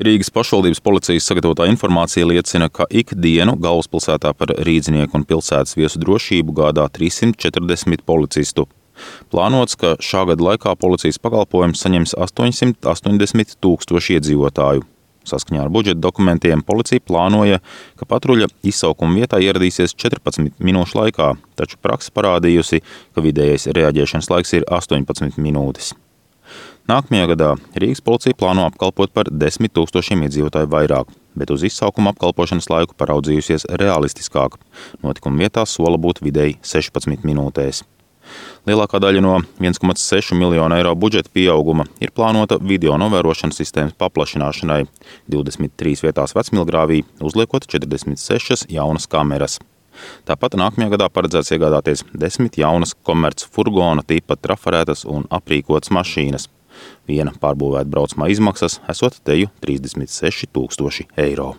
Rīgas pašvaldības policijas sagatavotā informācija liecina, ka ikdienu galvaspilsētā par rīdzinieku un pilsētas viesu drošību gādā 340 policistu. Plānots, ka šā gada laikā policijas pakalpojums saņems 880 000 iedzīvotāju. Saskaņā ar budžeta dokumentiem policija plānoja, ka patruļa izsaukuma vietā ieradīsies 14 minūšu laikā, taču praksa parādījusi, ka vidējais reaģēšanas laiks ir 18 minūtes. Nākamajā gadā Rīgas policija plāno apkalpot par 10 000 iedzīvotāju vairāk, bet uz izsaukuma apkalpošanas laiku paraudzījusies realistiskāk. Notikuma vietā sola būt vidēji 16 minūtēs. Lielākā daļa no 1,6 miljonu eiro budžeta pieauguma ir plānota video novērošanas sistēmas paplašināšanai, 23 vietās Vecmilgrāvī, uzliekot 46 jaunas kameras. Tāpat nākamajā gadā paredzēts iegādāties 10 jaunas komerc furgona tipa trafarētas un aprīkotas mašīnas. Viena pārbūvēta braucamā izmaksas esot teju 36 000 eiro.